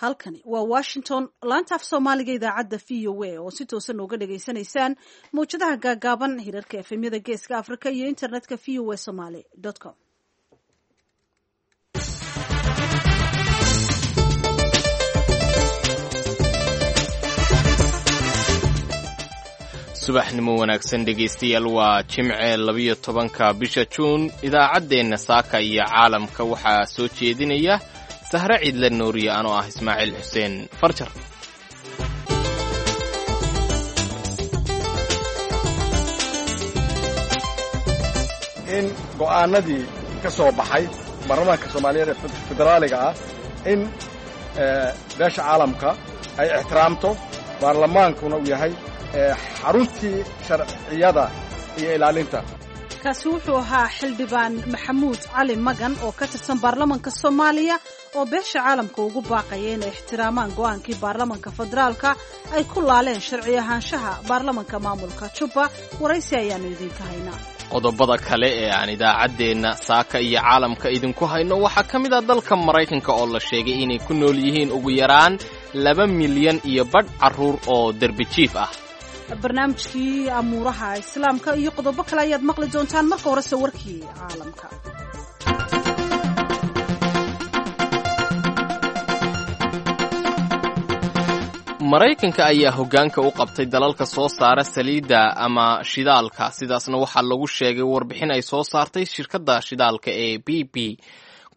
Halkani waa Washington, laanta af Soomaaliga, idaacadda VOA oo si toosan nooga dhagaysanaysaan mawjadaha gaagaaban, hirarka FM-yada Geeska Africa iyo internetka voasomali.com. Subaxnimo wanaagsan, dhegaystayaal. Waa Jimce, 12-ka bisha Juun. Idaacaddeenna saaka iyo caalamka waxaa soo jeedinaya Sahre Ciidle Nuuriye, anoo ah Ismaaciil Xuseen Farjar. In go'aanadii ka soo baxay baarlamaanka Soomaaliyeed ee federaaliga ah in beesha caalamka ay ixtiraamto, baarlamaankuna uu yahay xaruntii sharciyada iyo ilaalinta. Kaasi wuxuu ahaa Xildhibaan Maxamuud Cali Magan oo ka tirsan baarlamanka Soomaaliya oo beesha caalamka ugu baaqaya inay ixtiraamaan go'aankii baarlamanka federaalka ay ku laaleen sharci ahaanshaha baarlamanka maamulka Jubba. Waraysi ayaanu idinka haynaa. Qodobada kale ee aan idaacaddeenna saaka iyo caalamka idinku hayno waxaa ka mid ah dalka Maraykanka oo la sheegay inay ku nool yihiin ugu yaraan 2.5 milyan carruur oo derbijiif ah. Barnaamijkii amuuraha Islaamka iyo qodobo kale ayaad maqli doontaan. Marka horese warkii caalamka. Maraykanka ayaa hoggaanka u qabtay dalalka soo saara saliidda ama shidaalka. Sidaasna waxaa lagu sheegay warbixin ay soo saartay shirkadda shidaalka ee BP.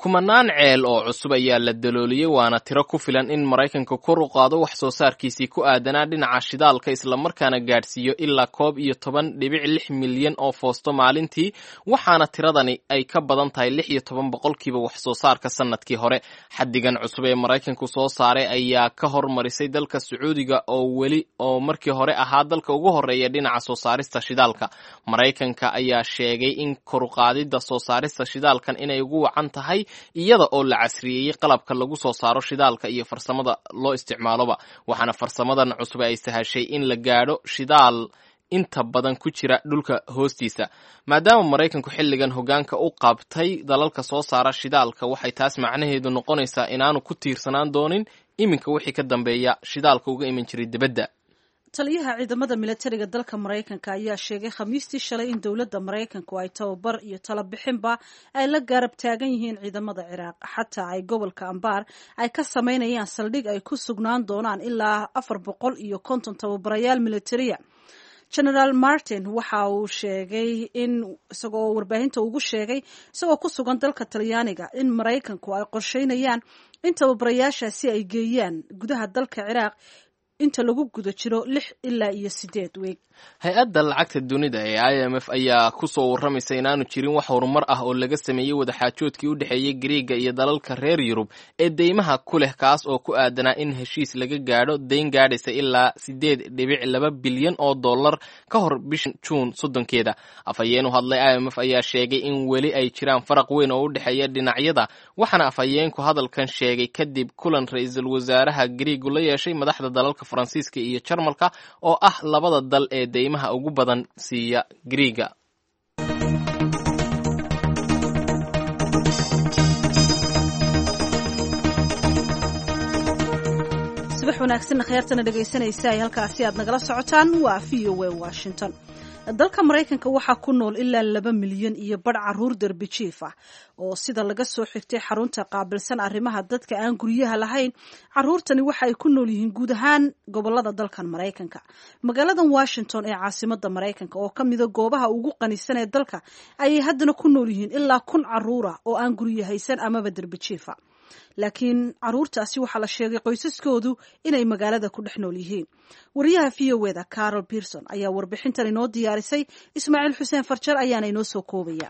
Kumanaan ceel oo cusub ayaa la dalooliyey, waana tiro ku filan in Maraykanka kor u qaado wax soo saarkiisii ku aadanaa dhinaca shidaalka, islamarkaana gaadhsiiyo ilaa 11.6 milyan oo foosto maalintii. Waxaana tiradani ay ka badan tahay 16% wax soo saarka sanadkii hore. Xaddigan cusub ee Maraykanku soo saaray ayaa ka hormarisay dalka Sacuudiga oo weli oo markii hore ahaa dalka ugu horreeya dhinaca soo saarista shidaalka. Maraykanka ayaa sheegay in koruqaadida soo saarista shidaalkan inay ugu wacan tahay iyada oo la casriyeeyey qalabka lagu soo saaro shidaalka iyo farsamada loo isticmaaloba, waxaana farsamadan cusub ay sahashay in la gaadho shidaal inta badan ku jira dhulka hoostiisa. Maadaama Maraykanku xilligan hoggaanka u qabtay dalalka soo saara shidaalka, waxay taas macnaheedu noqonaysaa inaanu ku tiirsanaan doonin iminka wixii ka dambeeya shidaalka uga iman jiray dibadda. Taliyaha ciidamada militariga dalka Maraykanka ayaa sheegay Khamiistii shalay in dowladda Maraykanku ay tababar iyo talabixinba ay la garab taagan yihiin ciidamada Ciraaq, xataa ay gobolka Ambaar ay ka samaynayaan saldhig ay ku sugnaan doonaan ilaa 450 tababarayaal militariya. Generaal Martin waxa uu sheegay in isagoo warbaahinta ugu sheegay isagoo ku sugan dalka Talyaaniga in Maraykanku ay qorsheynayaan in tababarayaashaasi ay geeyaan gudaha dalka Ciraaq inta lagu guda jiro 6 ilaa iyo 8 weeg. Hay-adda lacagta dunida ee IMF ayaa ku soo warramaysa inaanu jirin wax horumar ah oo laga sameeyey wadaxaajoodkii u dhexeeyey Gariiga iyo dalalka reer Yurub ee deymaha ku leh, kaas oo ku aadanaa in heshiis laga gaadho deyn gaadhaysa ilaa 8.2 bilyan oo dollar ka hor bisha Juun 30-keeda. Afhayeen u hadlay IMF ayaa sheegay in weli ay jiraan faraq weyn oo u dhexeeya dhinacyada, waxaana afhayeenku hadalkan sheegay kadib kulan ra-iisul wasaaraha Gariigu la yeeshay madaxda dalalka Faransiiska iyo Jarmalka oo ah labada dal ee deymaha ugu badan siiya Gariiga. Subax wanaagsanna kheyrtana dhegaysanaysa ay halkaasi aad nagala socotaan waa VOA Washington. Dalka Maraykanka waxaa ku nool ilaa 2.5 milyan caruur derbijiif ah oo sida laga soo xigtay xarunta qaabilsan arrimaha dadka aan guryaha lahayn. Caruurtani waxa ay ku nool yihiin guud ahaan gobolada dalkan Maraykanka. Magaaladan Washington ee caasimada Maraykanka oo ka mida goobaha ugu qanisan ee dalka ayay haddana ku nool yihiin ilaa 1000 caruura oo aan guryo haysan amaba derbijiifa, laakiin caruurtaasi waxaa la sheegay qoysaskoodu inay magaalada ku dhex nool yihiin. Wariyaha VOA-da Carol Pearson ayaa warbixintan inoo diyaarisay. Ismaaciil Xuseen Farjar ayaana inoo soo koobaya.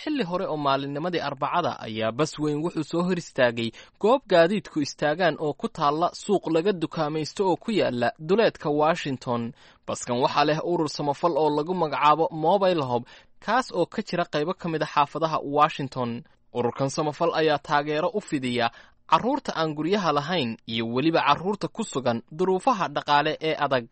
Xilli hore oo maalinnimadii Arbacada ayaa bas weyn wuxuu soo hor istaagay goob gaadiidku istaagaan oo ku taalla suuq laga dukaamaysto oo ku yaala duleedka Washington. Baskan waxaa leh urur samafal oo lagu magacaabo Mobile Hope, kaas oo ka jira qaybo ka mid a xaafadaha Washington. Ururkan samafal ayaa taageero u fidiya carruurta aan guryaha lahayn iyo weliba carruurta ku sugan duruufaha dhaqaale ee adag.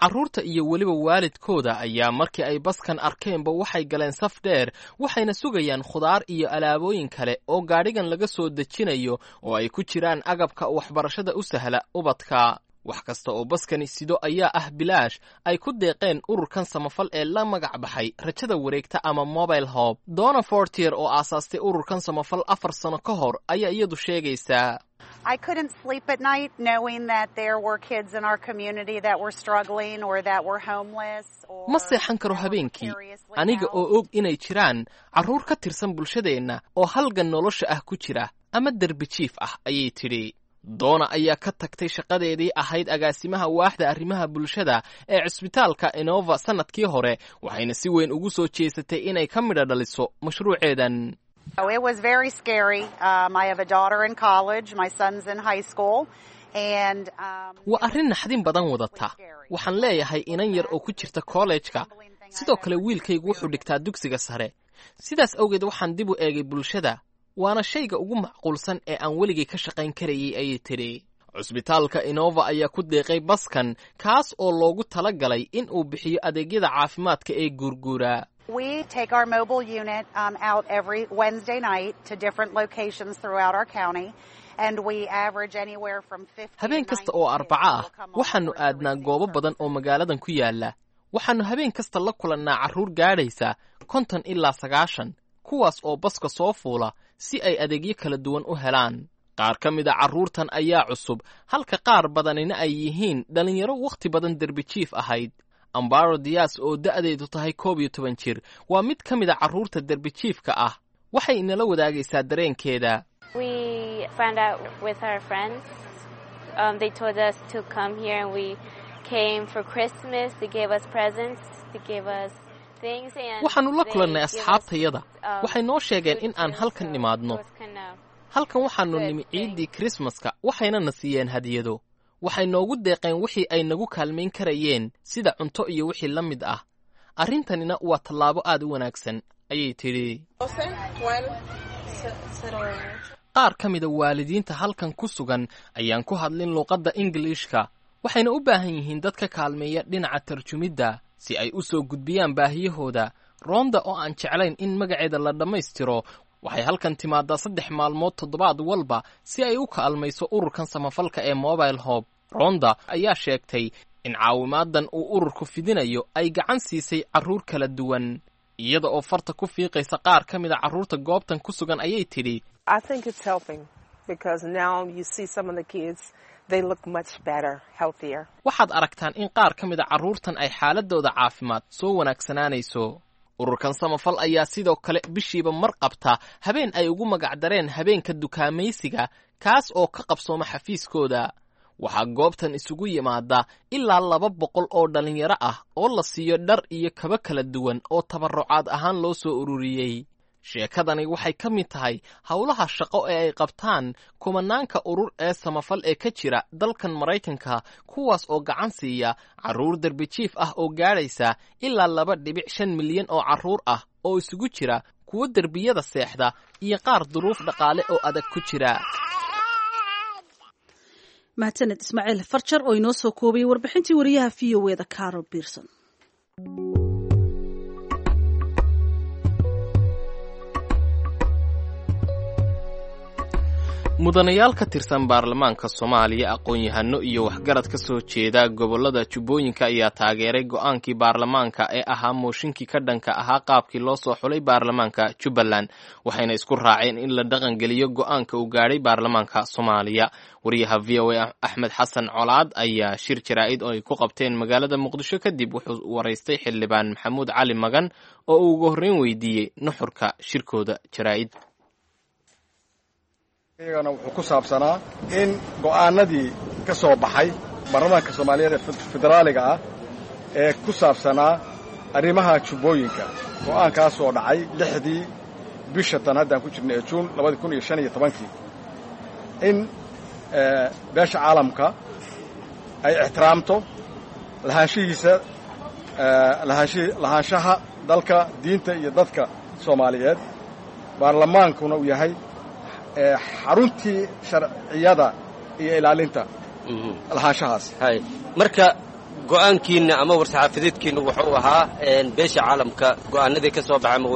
Carruurta iyo weliba waalidkooda ayaa markii ay baskan arkeenba waxay galeen saf dheer, waxayna sugayaan khudaar iyo alaabooyin kale oo gaadhigan laga soo dejinayo oo ay ku jiraan agabka waxbarashada u sahla ubadka. Wax kasta oo baskani sido ayaa ah bilaash ay ku deeqeen ururkan samafal ee la magac baxay Rajada Wareegta ama Mobile Hope. Donna Fortier oo aasaastay ururkan samafal 4 sano ka hor ayaa iyadu sheegaysaa: I couldn't sleep at night knowing that there were kids in our community that were struggling or that were homeless or Ma seexan karo habeenkii aniga oo og inay jiraan carruur ka tirsan bulshadeenna oo halgan nolosha ah ku jira ama derbi jiif ah, ayay tidhi. Donna ayaa ka tagtay shaqadeedii ahayd agaasimaha waaxda arrimaha bulshada ee cisbitaalka Inova sannadkii hore, waxayna si weyn ugu soo jeesatay inay ka midho dhaliso mashruuceedan. It was very scary. I have a daughter in college, my son's in high school, and Waa arrin naxdin badan wadata. Waxaan leeyahay inan yar oo ku jirta kollejka, sidoo kale wiilkaygu wuxuu dhigtaa dugsiga sare. Sidaas awgeed waxaan dib u eegay bulshada, waana shayga ugu macquulsan ee aan weligay ka shaqayn karayay, ayay tidhi. Cusbitaalka Inova ayaa ku deeqay baskan, kaas oo loogu tala galay in uu bixiyo adeegyada caafimaadka ee guurguura. We take our mobile unit out every Wednesday night to different locations throughout our county, and we average anywhere from 50 Habeen kasta oo Arbaco ah waxaannu aadnaa goobo badan oo magaaladan ku yaalla. Waxaannu habeen kasta la kulannaa carruur gaadhaysa 50 ilaa 90, kuwaas oo baska soo fuula si ay adeegyo kala duwan u helaan. Qaar ka mid a carruurtan ayaa cusub, halka qaar badanina ay yihiin dhallinyaro wakhti badan derbi jiif ahayd. Ambaro Dias oo da'deedu tahay 11 jir waa mid ka mid a carruurta derbi jiifka ah. Waxay inala wadaagaysaa dareenkeeda. We found out with our friends. They told us to come here and we came for Christmas. They gave us presents. They gave us things and Waxaannu la kulannay asxaabtayada. Waxay noo sheegeen in aan halkan nimaadno. Halkan waxaannu nimi ciiddii Krismaska, waxayna na siiyeen hadiyado. Waxay noogu deeqeen wixii ay nagu kaalmayn karayeen, sida cunto iyo wixii la mid ah. Arrintanina waa tallaabo aad u wanaagsan, ayay tidhi. Qaar ka mida waalidiinta halkan ku sugan ayaan ku hadlin luuqadda Ingiliishka, waxayna u baahan yihiin dad ka kaalmeeya dhinaca tarjumidda si ay u soo gudbiyaan baahiyahooda. Ronda oo aan jeclayn in magaceeda la dhammaystiro waxay halkan timaadaa 3 maalmood toddobaad walba si ay u kaalmayso ururkan samafalka ee Mobile Hope. Ronda ayaa sheegtay in caawimaadan uu ururku fidinayo ay gacan siisay carruur kala duwan. Iyada oo farta ku fiiqaysa qaar ka mid a carruurta goobtan ku sugan ayay tidhi: I think it's helping because now you see some of the kids, they look much better, healthier. Waxaad aragtaan in qaar ka mid a carruurtan ay xaaladooda caafimaad soo wanaagsanaanayso. Ururkan samafal ayaa sidoo kale bishiiba mar qabta habeen ay ugu magacdareen habeenka dukaamaysiga, kaas oo ka qabsooma xafiiskooda. Waxaa goobtan isugu yimaada ilaa 200 oo dhallinyaro ah oo la siiyo dhar iyo kabo kala duwan oo tabarrucaad ahaan loo soo ururiyey. Sheekadani waxay ka mid tahay howlaha shaqo ee ay qabtaan kumanaanka urur ee samafal ee ka jira dalkan Maraykanka, kuwaas oo gacan siiya carruur derbijiif ah oo gaadhaysa ilaa 2.5 milyan oo carruur ah oo isugu jira kuwo derbiyada seexda iyo qaar duruuf dhaqaale oo adag ku jira. Mahadsaned Ismaaciil Farjar oo inoo soo koobayay warbixintii wariyaha VOA-da Carol Pearson. Mudanayaal ka tirsan baarlamaanka Soomaaliya, aqoon-yahano iyo waxgarad ka soo jeeda gobollada Jubbooyinka ayaa taageeray go'aankii baarlamaanka ee ahaa mooshinkii ka dhanka ahaa qaabkii loo soo xulay baarlamaanka Jubbaland, waxayna isku raaceen in la dhaqangeliyo go'aanka uu gaadhay baarlamaanka Soomaaliya. Wariyaha VOA Axmed Xasan Colaad ayaa shir jaraa'id oo ay ku qabteen magaalada Muqdisho kadib wuxuu waraystay Xildhibaan Maxamuud Cali Magan oo uu ugu horreyn weydiiyey nuxurka shirkooda jaraa'id. Iyagana wuxuu ku saabsanaa in go'aanadii ka soo baxay baarlamaanka Soomaaliyeed ee federaaliga ah ee ku saabsanaa arrimaha Jubbooyinka, go'aankaasoo dhacay 6-dii bisha tan haddaan ku jirnay ee Juun 2015-kii, in beesha caalamka ay ixtiraamto lahaanshihiisa, lahaanshaha dalka, diinta iyo dadka Soomaaliyeed, baarlamaankuna uu yahay xaruntii sharciyada iyo ilaalinta lahaanshahaas. Hay, marka Go'aankiinna ama war-saxaafadeedkiinna wuxuu ahaa beesha caalamka go'aanadii ka soo baxay ama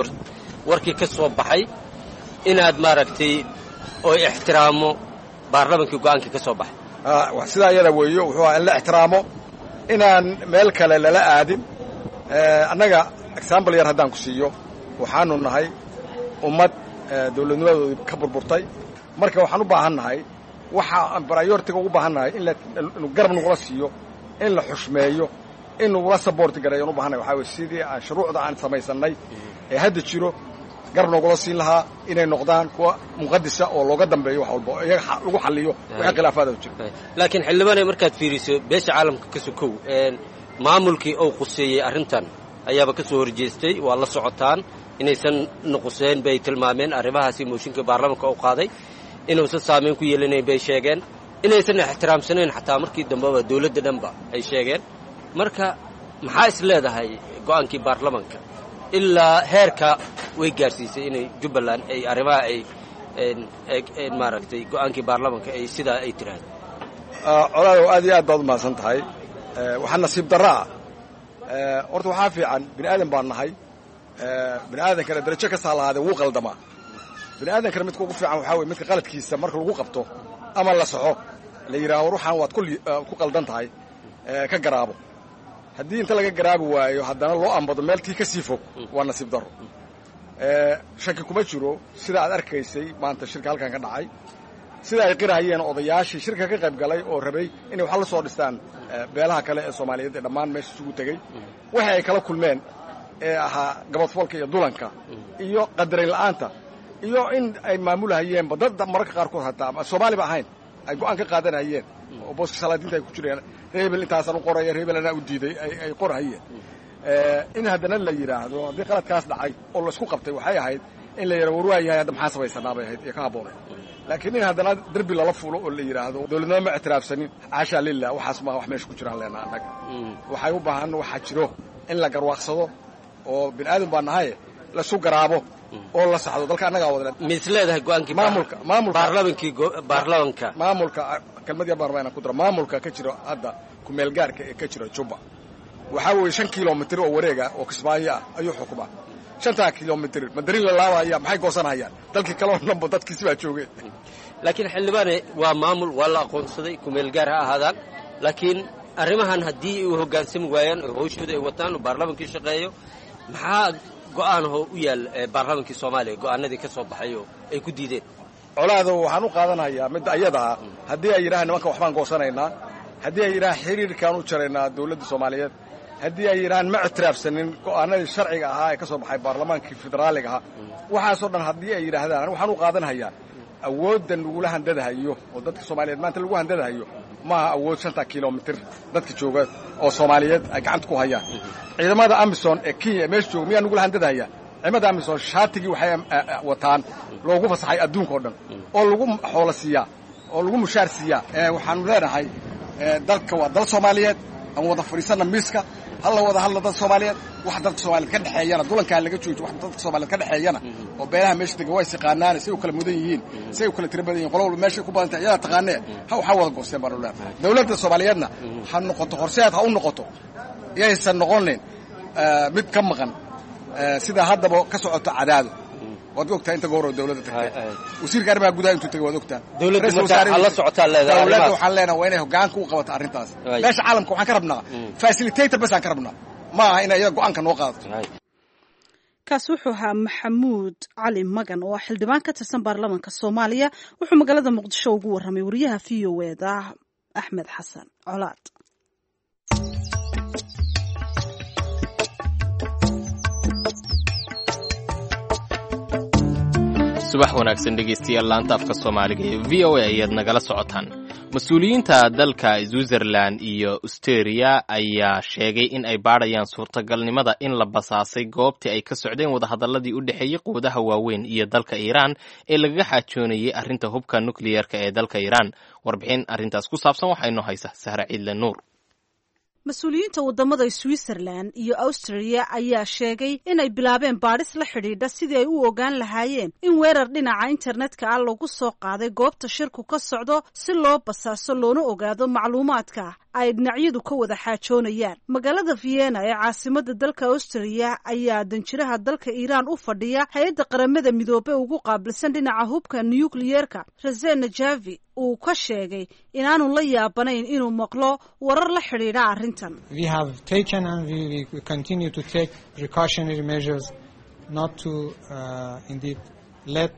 warkii ka soo baxay inaad maaragtay oo ixtiraamo baarlamankii go'aankii ka soo baxay. Sidaa iyada weeyo, wuxuu ahaa in la ixtiraamo, inaan meel kale lala aadin. Annaga example yar haddaan ku siiyo, waxaanu nahay ummad dawladnimadoodii ka burburtay. Marka waxaan u baahan nahay, waxa aan priority-ga ugu baahan nahay in garab nagula siiyo, in la xushmeeyo, in nagula support gareeyo u baahannahay. Waxaa weye sidii aan shuruucda aan samaysannay ee hadda jiro garab noogula siin lahaa, inay noqdaan kuwa muqadisa oo looga dambeeyo wax walba, iyaga lagu xalliyo wixii khilaafaada jiro. Laakiin xildhibaanay, markaad fiiriso beesha caalamka ka sokow, maamulkii uu quseeyey arrintan ayaaba ka soo horjeestay. Waa la socotaan inaysan nuquseen bay tilmaameen arrimahaasi. Mooshinka baarlamanka uu qaaday inuusan saamayn ku yeelanayn bay sheegeen, inaysan ixtiraamsanayn xataa markii dambeba dawladda dhanba ay sheegeen. Marka maxaa is leedahay go'aankii baarlamanka ilaa heerka way gaarsiisay inay Jubbaland ay arrimaha ay maaragtay go'aankii baarlamanka ay sidaa ay tiraahdo? Colaadow, aad iyo aad baad u mahadsan tahay. Waxaa nasiib darraa, horta waxaa fiican, bini aadan baan nahay, bini aadankana darajo kastaa lahaadee wuu qaldamaa. Bini aadankana midka ugu fiican waxaa weye midka qaladkiisa marka lagu qabto ama la soxo la yidhaaho ruuxan waad ku qaldan tahay, ka garaabo. Haddii inta laga garaabi waayo haddana loo ambado meel tii ka sii fog, waa nasiib darro. Shaki kuma jiro sida aad arkaysay maanta shirka halkan ka dhacay, sida ay qirahayeen odayaashii shirka ka qayb galay oo rabay inay wax la soo dhistaan beelaha kale ee Soomaaliyeed ee dhammaan meesha isugu tegey, waxa ay kala kulmeen ee ahaa gabadfoolka iyo dulanka iyo qadarin la'aanta iyo in ay maamulahayeenba dad mararka qaarkood hataa ama Soomaaliba ahayn ay go'aan ka qaadanayeen oo booska salaadiinta ay ku jireen, reebel intaasaan u qoraya, reebel anaa u diiday ay qorahayeen. In haddana la yidhaahdo haddii qaladkaas dhacay oo laisku qabtay, waxay ahayd in la yidhahdo war waa yahay, hadda maxaa samaysanaa bay ahayd iyo ka habboonay. Laakiin in haddana derbi lala fuulo oo la yidhaahdo dawladnimo ma ictiraafsanin, xaashaa lilah, waxaas maa wax meesha ku jiraan leenaa. Annaga waxay u baahan waxaa jiro in la garwaaqsado oo bini aadam baa nahaye lasu garaabo oo la saxdo dalka annagaa wada. Mis leedahay go'aankii maamulka maamulka baarlamankii baarlamanka maamulka, kelmad yar baan rabaa inaan ku daro. Maamulka ka jiro hadda kumeelgaarka ee ka jira Jubba waxaa weeye 5 kilomitir oo wareega oo Kismaayo ah ayuu xukumaa. 5-taa kilomitir madarin la laabaya, maxay goosanayaan? Dalkii kaleo dhanba dadkiisi baa joogeen. Laakiin xildhibaane, waa maamul, waa la aqoonsaday, kumeelgaar ha ahaadaan, laakiin arrimahan haddii ay u hoggaansami waayaan oo hawshooda ay wataan oo baarlamankii shaqeeyo, maxaa go'aanahoo u yaal baarlamankii Soomaaliya go'aanadii ka soo baxay oo ay ku diideen? Colaado, waxaan u qaadanayaa midda ayadaa haddii ay yidhahaan nimanka waxbaan goosanaynaa, haddii ay yidhahaan xiriirkaan u jaraynaa dawladda Soomaaliyeed, haddii ay yidhahaan ma ictiraafsanin go'aanadii sharciga ahaa ee ka soo baxay baarlamaankii federaaliga ahaa, waxaasoo dhan haddii ay yidhaahdaan, waxaan u qaadanhayaa awoodda lagula handadahayo oo dadka Soomaaliyeed maanta lagu handadahayo maaha awood 5-ta kilomitir dadka jooga oo Soomaaliyeed ay gacanta ku hayaan. Ciidamada AMISOM ee Kenya ee meesha jooga miyaa nagula handadahaya? Ciidamada AMISOM shaatigii waxay wataan loogu fasaxay adduunka oo dhan oo lagu xoolo siiyaa oo lagu mushaar siiyaa. Waxaanu leenahay dalka waa dal Soomaaliyeed, aan wada fadhiisanna miiska, hala wada hadla dad Soomaaliyeed. Wax dadka Soomaaliyeed ka dhexeeyana dulankaa laga joojo. Wax dadka Soomaaliyeed ka dhexeeyana oo beelaha meesha degan waa is yaqaanaane, say u kala mudan yihiin, say u kala tiro badan yihin, qolo walba meeshay ku badan tahay iyadaa taqaanee, ha waxaa wada goosteen baanu leenahay. Dawladda Soomaaliyeedna ha noqoto horseed, ha u noqoto, yaysan noqonin mid ka maqan sida haddaba ka socoto Cadaado. Waad ogtahay inta goor oo dawladda tagtay, wasiirka arrimaha gudaha intuu tagay waad ogtahay. Dawladda waxaan leenahay waa inay hoggaanka u qabato arrintaas. Meesha caalamka waxaan ka rabnaa facilitator bas aan ka rabnaa, ma aha inay iyada go'aanka noo qaadato. Kaasi wuxuu ahaa Maxamuud Cali Magan oo ah xildhibaan ka tirsan baarlamaanka Soomaaliya. Wuxuu magaalada Muqdisho ugu warramay wariyaha VOA-da Axmed Xasan Colaad. Subax wanaagsan dhegeystayaal, laanta afka Soomaaliga ee VOA ayaad nagala socotaan. Mas-uuliyiinta dalka Switzerland iyo Austeria ayaa sheegay in ay baadhayaan suurtagalnimada in la basaasay goobtii ay ka socdeen wadahadalladii u dhexeeyey quwadaha waaweyn iyo dalka Iiraan ee lagaga xaajoonayey arrinta hubka nukliyeerka ee dalka Iiraan. Warbixin arrintaas ku saabsan waxaa inoo haysa Sahra Ciidle Nuur. Mas-uuliyiinta waddamada Switzerland iyo Austria ayaa sheegay inay bilaabeen baadhis la xidhiidha sidii ay u ogaan lahaayeen in weerar dhinaca internetka ah lagu soo qaaday goobta shirku ka socdo, si loo basaaso loona ogaado macluumaadka ay dhinacyadu ka wada xaajoonayaan. Magaalada Vienna ee caasimada dalka Austria ayaa danjiraha dalka Iiraan u fadhiya hay-adda Qaramada Midoobe ugu qaabilsan dhinaca hubka nukliyeerka, Rasen Najavi, uu ka sheegay inaanu la yaabanayn inuu maqlo warar la xidhiidha arrintan. We have taken and we continue to take precautionary measures not to indeed let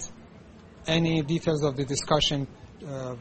any details of the discussion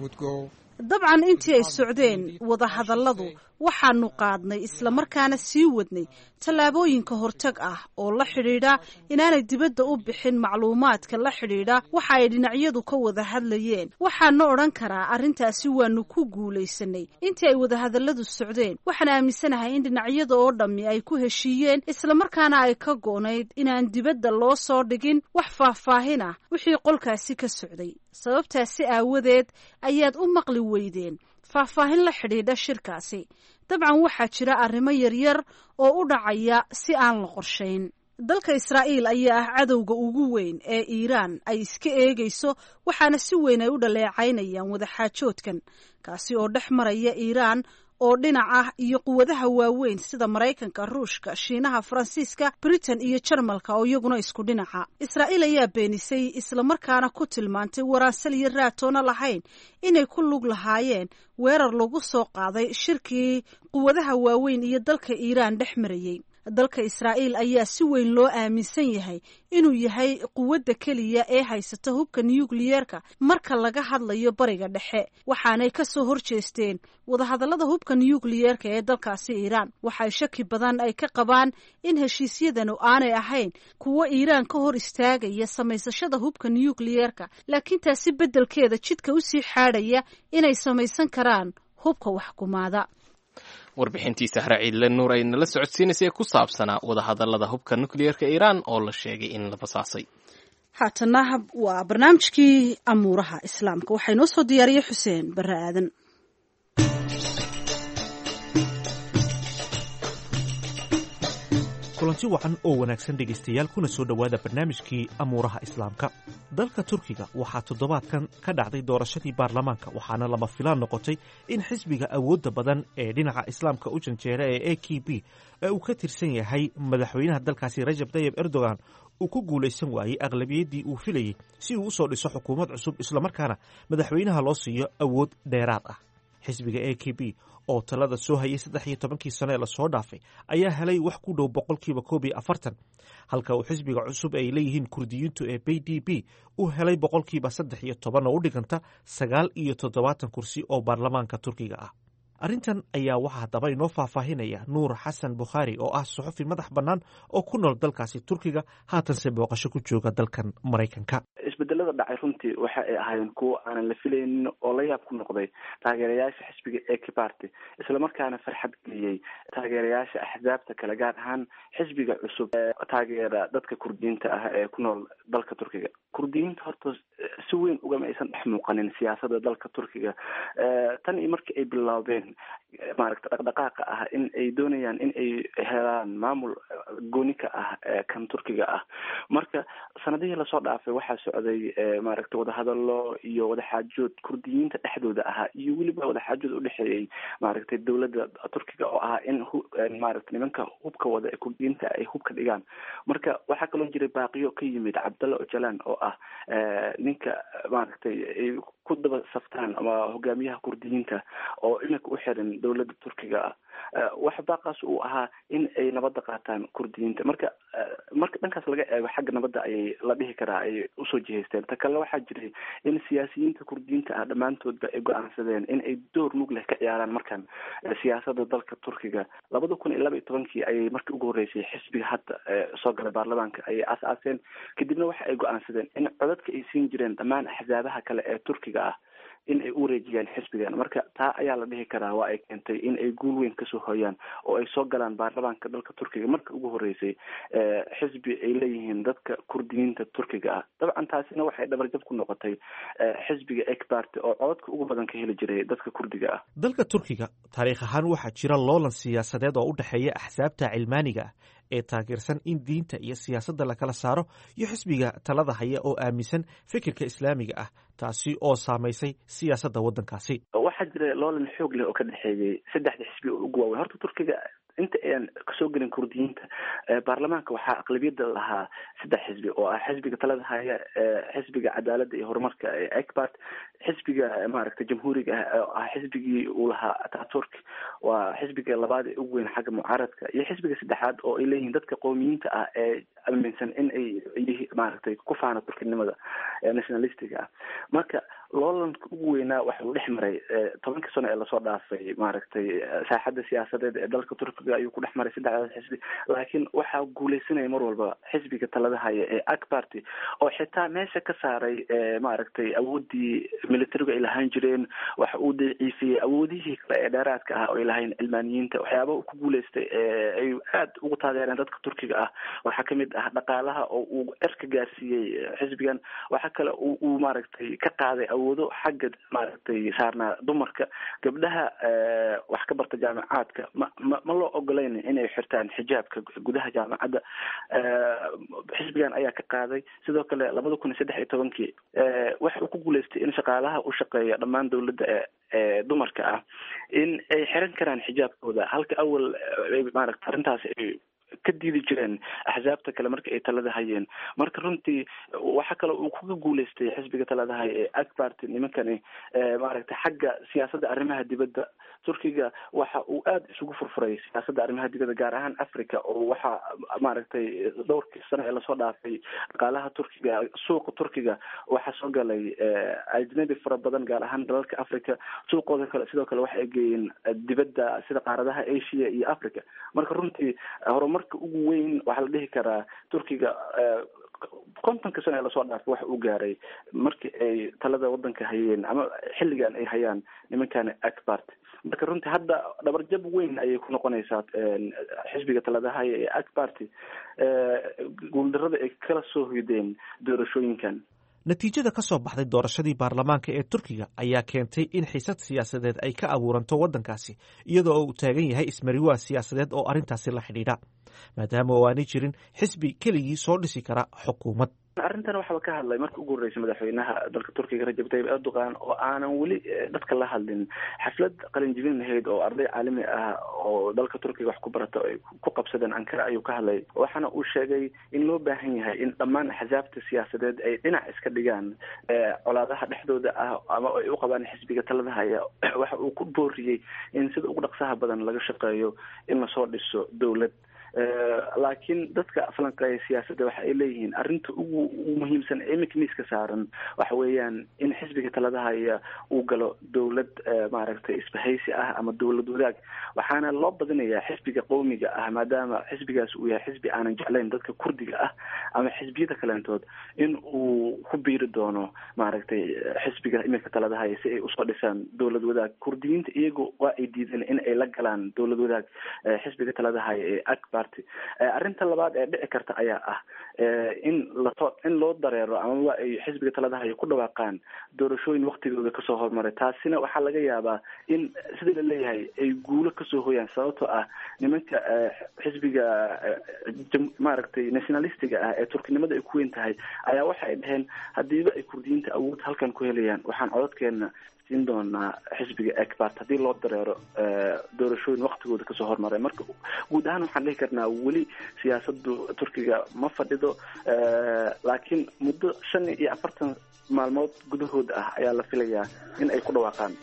would go. Dabcan, intii ay socdeen wadahadalladu, waxaanu qaadnay islamarkaana sii wadnay tallaabooyinka hortag ah oo la xidhiidha inaanay dibadda u bixin macluumaadka la xidhiidha waxa ay dhinacyadu ka wada hadlayeen. Waxaana odhan karaa arrintaasi waanu ku guulaysanay intii ay wadahadalladu socdeen. Waxaan aaminsanahay in dhinacyada oo dhammi ay ku heshiiyeen islamarkaana ay ka go'nayd inaan dibadda loo soo dhigin wax faahfaahin ah wixii qolkaasi ka socday. Sababtaasi aawadeed ayaad u maqli weydeen faahfaahin la xidhiidha shirkaasi. Dabcan, waxaa jira arrimo yaryar oo u dhacaya si aan la qorshayn. Dalka Israa'iil ayaa ah cadowga ugu weyn ee Iiraan ay iska eegayso, waxaana si weyn ay u dhaleecaynayaan wadaxaajoodkan, kaasi oo dhex maraya Iiraan oo dhinac ah iyo quwadaha waaweyn sida Maraykanka, Ruushka, Shiinaha, Faransiiska, Britain iyo Jarmalka oo iyaguna isku dhinaca. Israa'iil ayaa beenisay islamarkaana ku tilmaantay waraansal iyo raatoona lahayn inay ku lug lahaayeen weerar lagu soo qaaday shirkii quwadaha waaweyn iyo dalka Iiraan dhex marayey. Dalka Israa'iil ayaa si weyn loo aaminsan yahay inuu yahay quwadda keliya ee haysata hubka nukliyeerka marka laga hadlayo Bariga Dhexe, waxaanay ka soo horjeesteen wadahadallada hubka nukliyeerka ee dalkaasi Iiraan. Waxay shaki badan ay ka qabaan in heshiisyadanu aanay ahayn kuwo Iiraan ka hor istaagaya samaysashada hubka nukliyeerka, laakiin taasi beddelkeeda jidka usii xaadhaya inay samaysan karaan hubka waxkumaada. Warbixintii Sahre Ciidle Nuur ay nala socodsiinaysay ee ku saabsanaa wadahadallada hubka nukliyeerka Iiraan oo la sheegay in la basaasay. Haatana waa barnaamijkii amuuraha Islaamka. Waxaa inoo soo diyaariyey Xuseen Barre Aadan. Kulanti wacan oo wanaagsan, dhegaystayaal, kuna soo dhowaada barnaamijkii amuuraha Islaamka. Dalka Turkiga waxaa toddobaadkan ka dhacday doorashadii baarlamaanka, waxaana lama filaan noqotay in xisbiga awoodda badan ee dhinaca Islaamka u janjeera ee AKP ee uu ka tirsan yahay madaxweynaha dalkaasi Rajab Tayib Erdogan uu ku guulaysan waayey aqlabiyaddii uu filayey si uu usoo dhiso xukuumad cusub, islamarkaana madaxweynaha loo siiyo awood dheeraad ah. Xisbiga AKP oo talada soo hayay 13-kii sano ee lasoo dhaafay ayaa helay wax ku dhow 41%, halka uu xisbiga cusub ay leeyihiin Kurdiyiintu ee BDP uu helay 13% oo u dhiganta 79 kursi oo baarlamaanka Turkiga ah. Arrintan ayaa waxaa haddaba inoo faahfaahinaya Nuur Xasan Bukhaari oo ah suxufi madax bannaan oo ku nool dalkaasi Turkiga, haatanse booqasho ku jooga dalkan Maraykanka. Isbedelada dhacay runtii waxa ay ahaayeen kuwo aanan la filaynin oo la yaab ku noqday taageerayaasha xisbiga AK Party, islamarkaana farxad geliyey taageerayaasha axsaabta kale, gaar ahaan xisbiga cusub ee taageera dadka Kurdiyiinta ah ee ku nool dalka Turkiga. Kurdiyiinta horta si weyn ugama aysan dhex muuqanin siyaasada dalka Turkiga tan iyo markii ay bilaabeen maaragta dhaqdhaqaaqa ah in ay doonayaan in ay helaan maamul gooni ka ah kan Turkiga ah. Marka sanadihii lasoo dhaafay waxaa socday maaragta wadahadalo iyo wadaxaajood Kurdiyiinta dhexdooda ahaa iyo weliba wadaxaajood udhexeeyey maaragtay dowladda Turkiga oo ahaa in maaragta nimanka hubka wada ee Kurdiyiinta ay hubka dhigaan. Marka waxaa kaloo jiray baaqiyo ka yimid Cabdalla Ojalan oo ah ninka maaragtay ay ku daba saftaan ama hogaamiyaha Kurdiyiinta oo iminka u xiran dowladda Turkiga ah. Waxa baaqaas uu ahaa in ay nabadda qaataan Kurdiyiinta. Marka dhankaas laga eego, xagga nabadda ayay la dhihi karaa ay usoo jihaysteen. Ta kale, waxaa jiray in siyaasiyiinta Kurdiyiinta ah dhammaantoodba ay go-aansadeen in ay door mug leh ka ciyaaraan markan siyaasadda dalka Turkiga. 2012-kii ayay markii ugu horreysay xisbiga hadda soo galay baarlamaanka ayay aas-aaseen. Kadibna waxa ay go-aansadeen in codadka ay siin jireen dhammaan axsaabaha kale ee Turkiga ah in ay u wareejiyaan xisbigan. Marka taa ayaa la dhihi karaa waa ay keentay in ay guul weyn kasoo hoyaan oo ay soo galaan baarlamaanka dalka Turkiga marka ugu horeysay xisbi ay leeyihiin dadka Kurdiyiinta Turkiga ah. Dabcan taasina waxay dhabarjab ku noqotay xisbiga AK Party oo codadka ugu badan ka heli jiray dadka Kurdiga ah. Dalka Turkiga taariikh ahaan waxaa jira loolan siyaasadeed oo u dhexeeya axsaabta cilmaaniga ah ee taageersan in diinta iyo siyaasadda lakala saaro iyo xisbiga talada haya oo aaminsan fikirka islaamiga ah, taasi oo saamaysay siyaasadda waddankaasi. Waxaa jira loolan xoog leh oo ka dhexeeyey saddexda xisbi oo ugu waaweyn horta Turkiga inta ayaan kasoo gelin Kurdiyiinta baarlamaanka. Waxaa aqlabiyadda lahaa saddex xisbi oo ah xisbiga talada haya, xisbiga cadaaladda iyo horumarka ee AK Party, xisbiga maaragtay jamhuuriga ah oo ah xisbigii uu lahaa Ataturk, waa xisbiga labaad ee ugu weyn xagga mucaaradka, iyo xisbiga saddexaad oo ay leeyihiin dadka qowmiyiinta ah ee aaminsan in ay maaragtay ku faana Turkinimada ee nationalistiga ah. Marka loolanka ugu weynaa waxa uu dhex maray 10-kii sano ee lasoo dhaafay maaragtay saaxadda siyaasadeed ee dalka Turkiga ayuu ku dhex maray saddexdaas xisbi, laakiin waxaa guuleysanaya mar walba xisbiga talada haya ee AK Party oo xitaa meesha ka saaray maaragtay awoodii militarigu ay lahaan jireen. Waxa uu daciifiyey awoodihii kale ee dheeraadka ah oo ay lahayn cilmaaniyiinta. Waxyaabaha uu ku guuleystay ee ay aada ugu taageereen dadka Turkiga ah waxaa kamid ah dhaqaalaha oo uu cirka gaarsiiyey xisbigan. Waxaa kale uu maaragtay ka qaaday awoodo xagga maaragtay saarnaa dumarka. Gabdhaha wax ka barta jaamacaadka ma loo ogolayn inay xirtaan xijaabka gudaha jaamacadda, xisbigan ayaa ka qaaday. Sidoo kale 2013-kii waxa uu ku guuleystay in shaqaalaha u shaqeeya dhammaan dowladda ee dumarka ah in ay xiran karaan xijaabkooda, halka awal maaragta arrintaas ay ka diidi jireen axsaabta kale marka ay talada hayeen. Marka runtii waxa kale uu kaga guuleystay xisbiga talada haya ee AK Party nimankani maaragtay xagga siyaasadda arrimaha dibadda. Turkiga waxa uu aada isugu furfuray siyaasadda arrimaha dibadda, gaar ahaan Africa, oo waxa maaragtay dhowrkii sano ee lasoo dhaafay dhaqaalaha Turkiga, suuqa Turkiga waxaa soo galay ajnabi fara badan, gaar ahaan dalalka Africa suuqooda kale. Sidoo kale waxa ay geeyeen dibadda sida qaaradaha Asia iyo Africa. Marka runtii horumarka ugu weyn waxaa la dhihi karaa Turkiga 50-ka sano ee lasoo dhaafay waxa uu gaaray markii ay talada wadanka hayeen ama xilligan ay hayaan nimankan AK Party. Marka runtii hadda dhabarjab weyn ayay ku noqonaysaa xisbiga talada haya ee AK Party guuldarada ay kala soo hoydeen doorashooyinkan. Natiijada ka soo baxday doorashadii baarlamaanka ee Turkiga ayaa keentay in xiisad siyaasadeed ay ka abuuranto waddankaasi, iyadoo uu taagan yahay ismariwaa siyaasadeed oo arrintaasi la xidhiidha, maadaama oo aanay jirin xisbi keligii soo dhisi kara xukuumad. Arrintan waxaba ka hadlay marka ugu horreysay madaxweynaha dalka Turkiga Rajab Tayyip Erdogan oo aanan weli dadka la hadlin. Xaflad qalinjibin lahayd oo arday caalami ah oo dalka Turkiga wax ku barata ay ku qabsadeen Ankara ayuu ka hadlay, waxaana uu sheegay in loo baahan yahay in dhammaan axsaabta siyaasadeed ay dhinac iska dhigaan colaadaha dhexdooda ah ama ay u qabaan xisbiga talada haya. Waxa uu ku booriyey in sida ugu dhaqsaha badan laga shaqeeyo in lasoo dhiso dowlad, laakiin dadka falanqeeya siyaasadda waxa ay leeyihiin arrinta ugu muhiimsan ee iminka miiska saaran waxa weeyaan in xisbiga talada haya uu galo dowlad maaragtay isbahaysi ah ama dowlad wadaag. Waxaana loo badinayaa xisbiga qowmiga ah, maadaama xisbigaas uu yahay xisbi aanan jeclayn dadka Kurdiga ah ama xisbiyada kaleentood, in uu ku biiri doono maaragtay xisbiga iminka talada haya si ay usoo dhisaan dowlad wadaag. Kurdiyiinta iyagu waa ay diideen in ay la galaan dowlad wadaag xisbiga talada haya ee AK Party. Arrinta labaad ee dhici karta ayaa ah in laso in loo dareero amaba ay xisbiga talada haya ku dhawaaqaan doorashooyin waktigooda kasoo hormaray. Taasina waxaa laga yaabaa in sida la leeyahay ay guulo kasoo hoyaan, sababtoo ah nimanka xisbiga maaragtay nationalistiga ah ee Turkinimada ay ku weyn tahay ayaa waxa ay dhaheen hadiiba ay Kurdiyiinta awood halkan ku helayaan, waxaan codadkeena siin doonaa xisbiga AK Party haddii loo dareero doorashooyin waktigooda kasoo hormaray. Marka guud ahaan waxaan dhihi karnaa weli siyaasadu Turkiga ma fadhido, laakiin muddo 45 maalmood gudahood ah ayaa la filayaa in ay ku dhawaaqaan.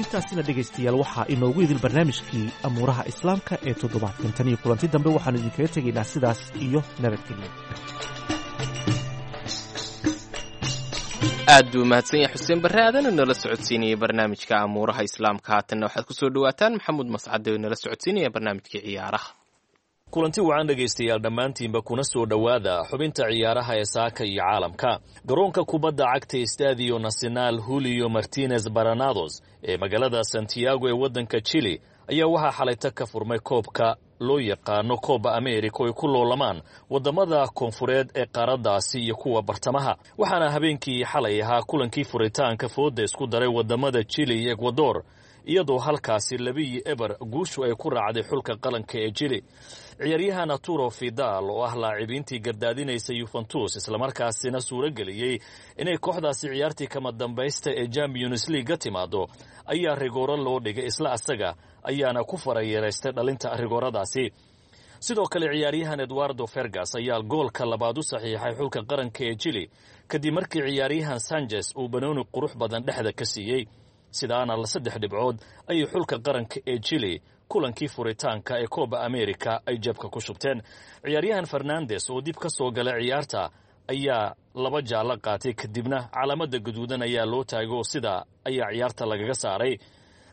Intaasina dhegaystayaal waxaa inoogu idil barnaamijkii amuuraha islaamka ee toddobaadkan. Tan iyo kulanti dambe waxaanu idinkaga tegaynaa sidaas iyo nabadgelyo. Aad buu mahadsan yahay Xuseen Barre Aadan oo nala socodsiinayay barnaamijka amuuraha Islaamka. Haatanna waxaad ku soo dhowaataan Maxamuud Mascade oo nala socodsiinaya barnaamijkii ciyaaraha. Kulanti wacan, dhegaystayaal dhammaantiinba, kuna soo dhowaada xubinta ciyaaraha ee saaka iyo caalamka. Garoonka kubadda cagta Estadio Nacional Julio Martinez Baranados ee magaalada Santiago ee waddanka Chile ayaa waxaa xalayta ka furmay koobka loo yaqaano Kooba America oo ay ku loolamaan waddamada koonfureed ee qaaraddaasi iyo kuwa bartamaha. Waxaana habeenkii xalay ahaa kulankii furitaanka fooda isku daray waddamada Chile iyo Ekwador, iyadoo halkaasi 2-0 guushu ay ku raacday xulka qaranka ee Chile. Ciyaaryahan Arturo Vidal oo ah laacibiintii gardaadinaysa Yuventus, islamarkaasina suuro geliyey inay kooxdaasi ciyaartii kama dambaysta ee Champions League ka timaado, ayaa rigooro loo dhigay, isla asaga ayaana ku farayeeraystay dhalinta rigooradaasi. Sidoo kale ciyaaryahan Eduardo Fergas ayaa goolka labaad u saxiixay xulka qaranka ee Chile, kadib markii ciyaaryahan Sanchez uu banooni qurux badan dhexda ka siiyey. Sidaana saddex dhibcood ayay xulka qaranka ee Chile kulankii furitaanka ee Kooba America ay jabka ku shubteen. Ciyaaryahan Fernandes oo dib ka soo galay ciyaarta ayaa laba jaallo qaatay, kadibna calaamada gaduudan ayaa loo taagay oo sidaa ayaa ciyaarta lagaga saaray.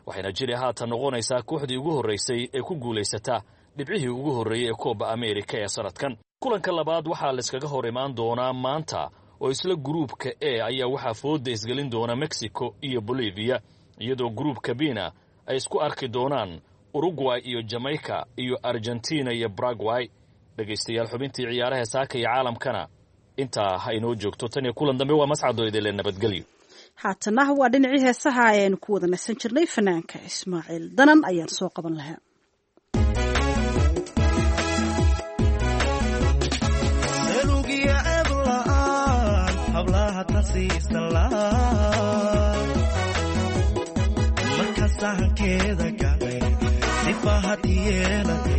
Waxayna Chile haatan noqonaysaa kooxdii ugu horreysay ee ku guulaysata dhibcihii ugu horreeyey ee Kooba America ee sanadkan. Kulanka labaad waxaa layskaga hor imaan doonaa maanta oo isla gruubka E ayaa waxaa fooda isgelin doona Mexico iyo Bolivia, iyadoo gruubka Bina ay isku arki doonaan Uruguay iyo Jamaica iyo Argentina iyo Paraguay. Dhegaystayaal, xubintii ciyaaraha saaka iyo caalamkana intaa ha inoo joogto. Tan iyo kulan dambe, waa Mascadoo idinle nabadgelyo. Haatana waa dhinacii heesaha ayaynu ku wada nasan jirnay. Fanaanka Ismaaciil Danan ayaan soo qaban lahaa.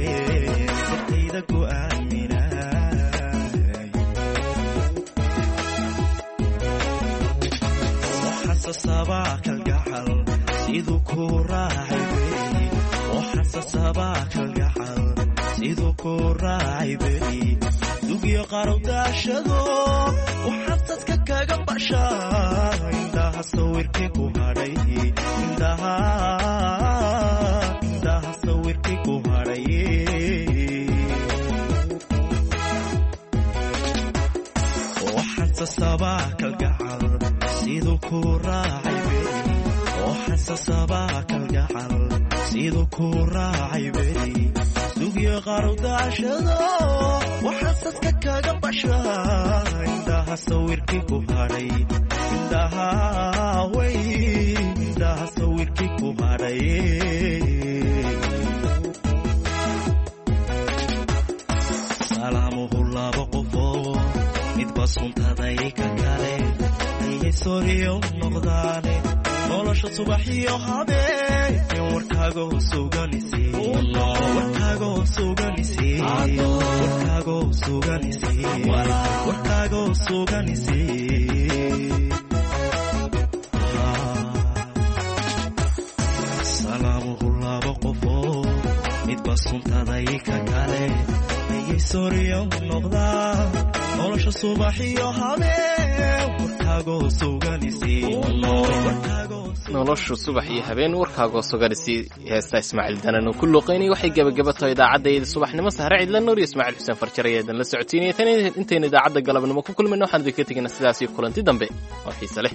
Sirtayda ku aaminay waxasasabaa kalgacal siduu ku raacay beri, waxasasabaa kalgacal siduu ku raacay beri, dugyo qarowdaashado waxasadka kaga bashaa, indhaha sawirkii ku hadhay, indhaha indhaha sawirkii ku hadhay. Waxasasabaa kalgacal siduu ku raacay beri, waxasasabaa kalgacal siduu ku raacay beri, dugyo qarowdaashado waxasadka kaga bashaa, indhaha sawirkii ku hadhay, indhaha way indhaha sawirkii ku hadhay. Salaamuhu laba qofoo midba suntaday ka kale ayay soriyo noqdaane, nolosha subaxiyo habeen warkaagoo suganisi, warkaagoo suganisi, warkaagoo suganisi, warkaagoo suganisi. Salaamuhu laba qofoo midba suntaday ka kale ayay soriyo noqdaa, nolosha subaxiyo habeen warkaagoo suganisi. Noloshu subax iyo habeen warkaagoo suganisi, heesta Ismaaciil Danan oo ku luuqaynaya waxay gebagaba tahay idaacaddayda subaxnimo. Sahre Cidla Nuur iyo Ismaaciil Xuseen Farjar ayaa la socotiinaya. Tan intaynu idaacadda galabnimo ku kulmayno, waxaan idinka tegaynaa sidaas iyo kulanti dambe oo xiise leh.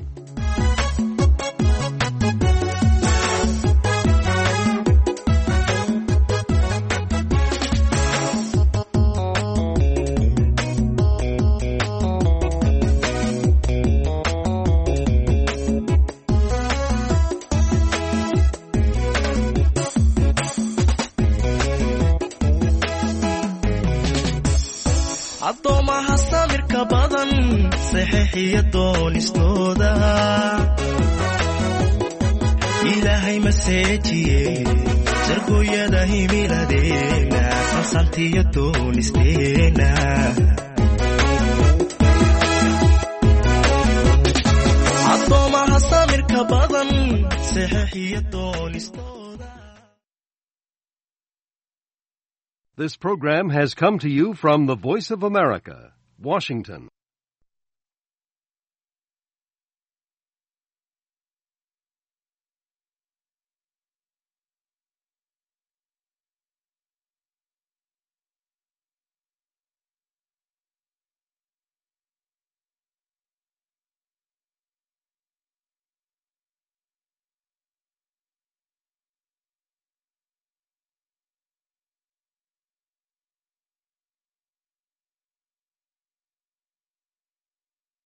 Addoomaha samirka badan saxiixiyo doonistooda Ilaahay maseejiye, sargooyada himiladeena sansantiyo doonisteena. Addoomaha samirka badan saxiixiyo doonistooda. This program has come to you from the Voice of America, Washington.